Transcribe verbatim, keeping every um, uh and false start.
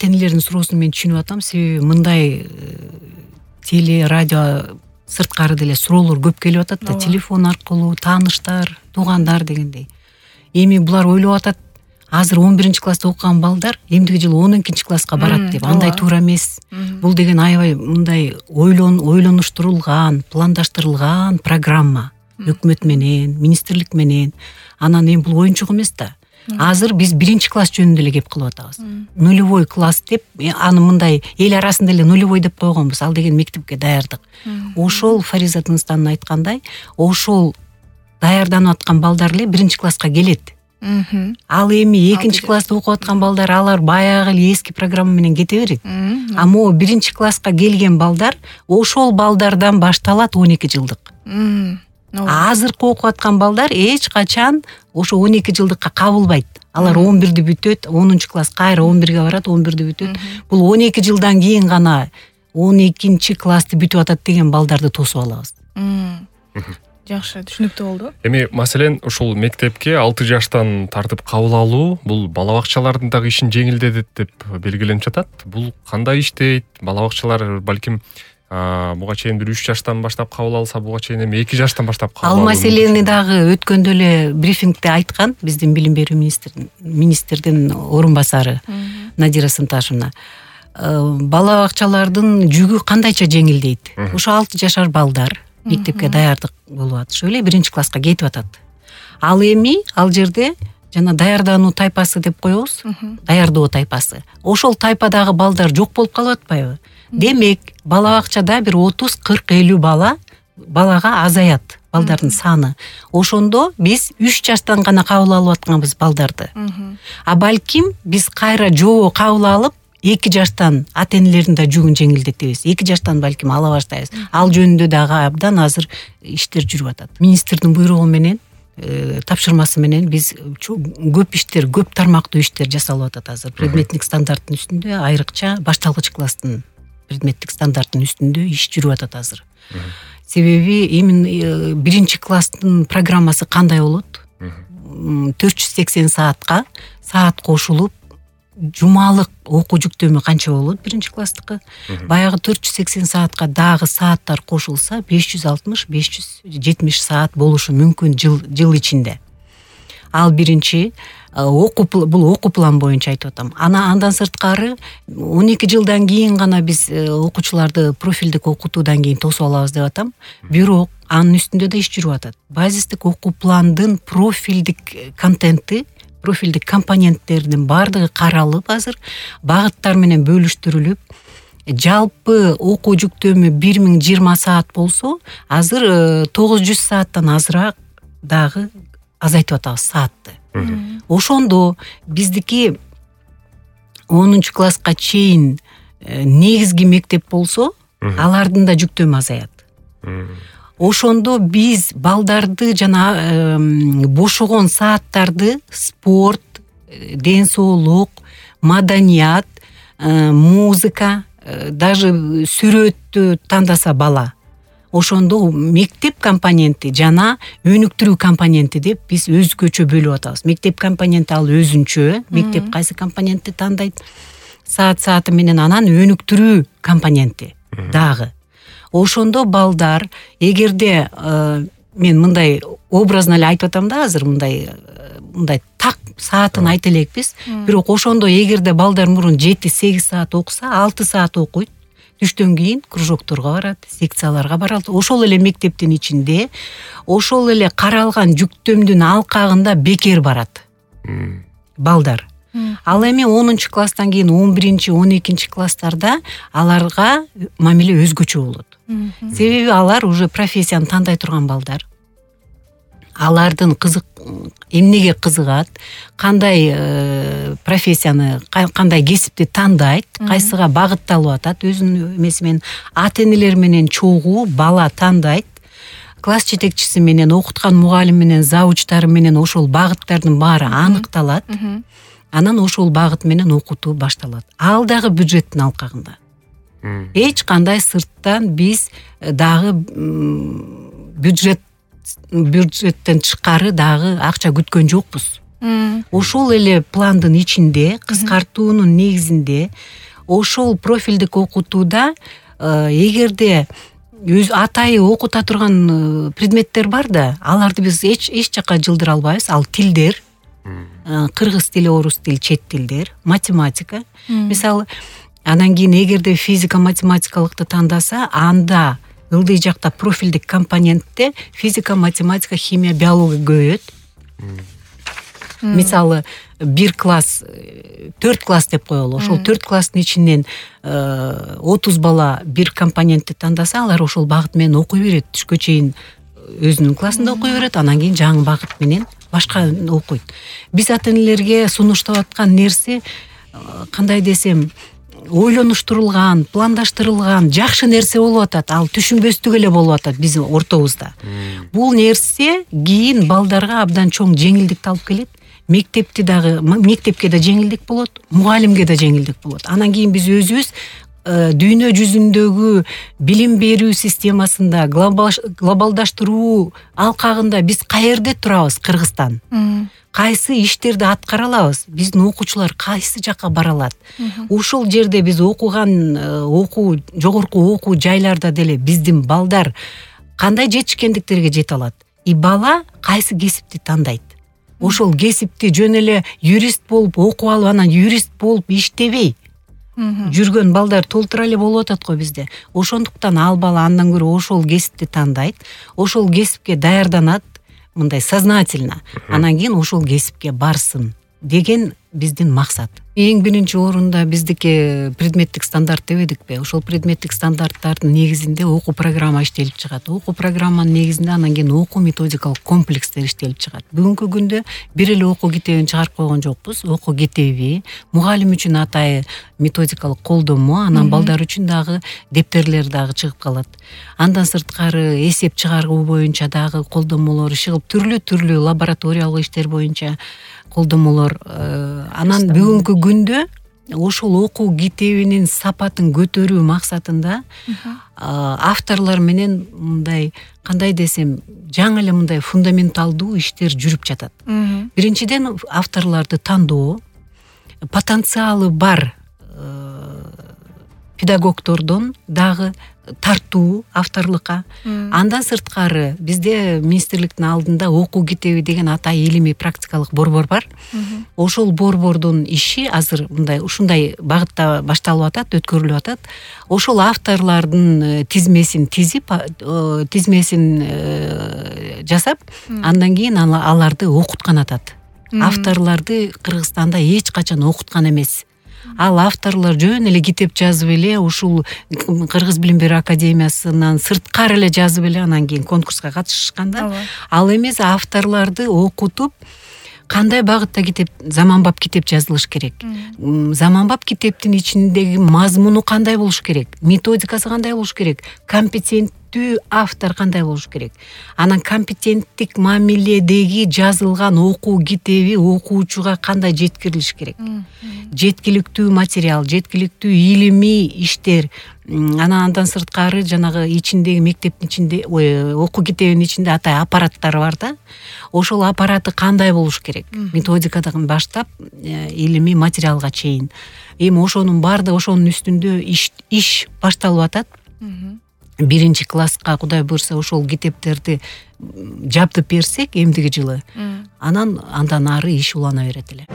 ата энелердин суроосун мен түшүнүп атам. Себеби мындай теле, радио сырткары деле суроолор көп келип атат да, телефон аркылуу, тааныштар, туугандар дегендей. Эми булар ойлоп атат, азыр он биринчи класста окуган балдар эмдиги жылы он экинчи класска барат деп. Андай туура эмес. Бул деген аябай мындай ойлон ойлонуштурулган, пландаштырылган программа. Өкмөт менен, министрлик менен. Анан эми бул оюнчук эмес да. Азыр биз биринчи класс жөнүндө эле кеп кылып атабыз. Нулевой класс деп, аны мындай эл арасында эле нулевой деп койгонбуз. Ал деген мектепке даярдык. Ошол Фариза Тыныстан айткандай, ошол даярданып аткан балдар эле биринчи класска келет. Ал эми экинчи класста окуп аткан балдар, алар баягы эле эски программа менен кете берет. А могу биринчи класска келген балдар ошол балдардан башталат он эки жылдык. Азыркы окуп аткан балдар эч качан ошо он эки жылдыкка кабылбайт. Алар он бирди бүтөт, онунчу класс кайра он бирге барат, он бирди бүтөт. Бул он эки жылдан кийин гана он экинчи классты бүтүп атат деген балдарды тосуп алабыз. Жакшы, түшүнүктүү болду. Эми маселен ушул мектепке алты жаштан тартып кабыл алуу бул бала бакчалардын дагы ишин жеңилдетет деп белгиленип жатат. Бул кандай иштейт? Бала бакчалар балким буга чейин бир үч жаштан баштап кабыл алса, буга чейин эми эки жаштан баштап кабыл алуу. Ал маселени дагы өткөндө эле брифингде айткан биздин билим берүү министрин министрдин орун басары Надира Сынташевна. Бала бакчалардын жүгү кандайча жеңилдейт? Ошо алты жашар балдар мектепке даярдык болуп атышып эле биринчи класска кетип атат. Ал эми ал жерде жана даярдануу тайпасы деп коебуз, даярдоо тайпасы. Ошол тайпадагы балдар жок болуп калып атпайбы? Демек, бала бакчада бир отуз кырк элүү бала балага азаят, балдардын саны. Ошондо биз үч жаштан гана кабыл алып атканбыз балдарды. А балким биз кайра жобо кабыл алып эки жаштан ата энелердин да жүгүн жеңилдетебиз. эки жаштан балким ала баштайбыз. Ал жөнүндө дагы абдан азыр иштер жүрүп атат. Министрдин буйругу менен, тапшырмасы менен биз көп иштер, көп тармактуу иштер жасалып атат азыр. Предметтик стандарттын үстүндө, айрыкча башталгыч класстын предметтик стандарттын үстүндө иш жүрүп атат азыр. Себеби эми биринчи класстын программасы кандай болот? төрт жүз сексен саатка саат кошулуп, жумалык окуу жүктөмү канча болот биринчи класстыкы? Баягы төрт жүз сексен саатка дагы сааттар кошулса, беш жүз алтымыш беш жүз жетимиш саат болушу мүмкүн жыл жыл ичинде. Ал биринчи окуу бул окуу план боюнча айтып атам. Ана андан сырткары он эки жылдан кийин гана биз окуучуларды профилдик окутуудан кийин тосуп алабыз деп атам. Бирок анын үстүндө да иш жүрүп атат. Базистик окуу пландын профилдик контенти, профилдик компоненттердин баардыгы каралып азыр, багыттар менен бөлүштүрүлүп, жалпы окуу жүктөмү бир миң жыйырма саат болсо, азыр тогуз жүз сааттан азыраак дагы азайтып атабыз саатты. Ошондо биздики онунчу класска чейин негизги мектеп болсо, алардын да жүктөмү азаят. Ошондо биз балдарды жана бошогон сааттарды спорт, ден соолук, маданият, музыка, даже сүрөттү тандаса бала, ошондо мектеп компоненти жана өнүктүрүү компоненти деп биз өзгөчө бөлүп атабыз. Мектеп компоненти ал өзүнчө, мектеп кайсы компонентти тандайт, саат-сааты менен, анан өнүктүрүү компоненти дагы. Ошондо балдар, эгерде мен мындай образно эле айтып атам да азыр, мындай мындай так саатын айта элекпиз, бирок ошондо эгерде балдар мурун жети сегиз саат окуса, алты саат окуйт, түштөн кийин кружокторго барат, секцияларга барат. Ошол эле мектептин ичинде, ошол эле каралган жүктөмдүн алкагында бекер барат балдар. Ал эми онунчу класстан кийин он биринчи он экинчи класстарда аларга мамиле өзгөчө болот. Себеби алар уже профессияны тандай турган балдар. Алардын кызык эмнеге кызыгат, кандай профессияны, кандай кесипти тандайт, кайсыга багытталып атат, өзүнүн эмеси менен ата энелер менен чогуу бала тандайт. Класс жетекчиси менен, окуткан мугалим менен, завучтары менен ошол багыттардын баары аныкталат. Анан ошол багыт менен окутуу башталат. Ал дагы бюджеттин алкагында. Эч кандай сырттан биз дагы бюджет бюджеттен тышкары дагы акча күткөн жокпуз. ошол эле пландын ичинде кыскартуунун негизинде ошол профилдик окутууда эгерде өз атайы окута турган предметтер бар да, аларды биз эч эч жакка жылдыра албайбыз. Ал тилдер, кыргыз тили, орус тили, чет тилдер, математика. Мисалы, анан кийин эгерде физика, математикалыкты тандаса, анда ылдый жакта профилдик компонентте физика, математика, химия, биология көбөйөт. Мисалы, бир класс, төрт класс деп коелу. Ошол төрт класстын ичинен отуз бала бир компонентти тандаса, алар ошол багыт менен окуй берет. Түшкө чейин өзүнүн классында окуй берет, анан кийин жаңы багыт менен башка окуйт. Биз ата-энелерге сунуштап аткан нерсе, кандай десем, ойлонуштурулган, пландаштырылган жакшы нерсе болуп атат. Ал түшүнбөстүк эле болуп атат биздин ортобузда. Бул нерсе кийин балдарга абдан чоң жеңилдикти алып келет. Мектепти дагы, мектепке да жеңилдик болот, мугалимге да жеңилдик болот. Анан кийин биз өзүбүз дүйнө жүзүндөгү билим берүү системасында, глобалдаштыруу алкагында биз каерде турабыз, Кыргызстан? Кайсы иштерди аткара алабыз? Биздин окуучулар кайсы жакка бара алат? Ошол жерде биз окуган окуу, жогорку окуу жайларда деле биздин балдар кандай жетишкендиктерге жете алат? И бала кайсы кесипти тандайт? Ошол кесипти жөн эле юрист болуп окуп алып, анан юрист болуп иштебей жүргөн балдар толтура эле болуп атат го бизде. Ошондуктан ал бала андан көрө ошол кесипти тандайт, ошол кесипке даярданат, мындай сознательно. Анан кийин ошол кесипке барсын деген биздин максат. Эң биринчи орунда биздики предметтик стандарт дебедикпи? Ошол предметтик стандарттардын негизинде окуу программа иштелип чыгат. Окуу программанын негизинде анан кийин окуу методикалык комплекстер иштелип чыгат. Бүгүнкү күндө бир эле окуу китебин чыгарып койгон жокпуз. Окуу китеби, мугалим үчүн атайы методикалык колдомо, анан балдар үчүн дагы дептерлер дагы чыгып калат. Андан сырткары эсеп чыгаруу боюнча дагы колдомолор чыгып, түрлүү-түрлүү лабораториялык иштер боюнча колдомолор. Анан бүгүнкү күндө ошол окуу китебинин сапатын көтөрүү максатында авторлор менен мындай, кандай десем, жаңы эле мындай фундаменталдуу иштер жүрүп жатат. Биринчиден авторлорду тандоо, потенциалы бар педагогдордон дагы тартуу авторлукка. Андан сырткары бизде министрликтин алдында окуу китеби деген атайы илимий практикалык борбор бар. Ошол борбордун иши азыр мындай ушундай багытта башталып атат, өткөрүлүп атат. Ошол авторлордун тизмесин тизип, тизмесин жасап, андан кийин аларды окуткан атат. Авторлорду Кыргызстанда эч качан окуткан эмес. Ал авторлор жөн эле китеп жазып эле, ушул Кыргыз билим берүү академиясынан сырткары эле жазып эле анан кийин конкурска катышышканда, ал эмес, авторлорду окутуп, кандай багытта китеп, заманбап китеп жазылыш керек. Заманбап китептин ичиндеги мазмуну кандай болуш керек, методикасы кандай болуш керек, компетенттүү автор кандай болуш керек. Анан компетенттик мамиледеги жазылган окуу китеби окуучуга кандай жеткирилиш керек. Жеткиликтүү материал, жеткиликтүү илимий иштер. Анан андан сырткары жанагы ичиндеги мектептин ичинде, окуу китебинин ичинде атай аппараттар бар да. Ошол аппараты кандай болуш керек? Методикадан баштап илимий материалга чейин. Эми ошонун баардыгы, ошонун үстүндө иш, иш башталып атат. Биринчи класска Кудай буйрса ошол китептерди жабдып берсек эмдиги жылы, анан андан ары иш улана берет эле.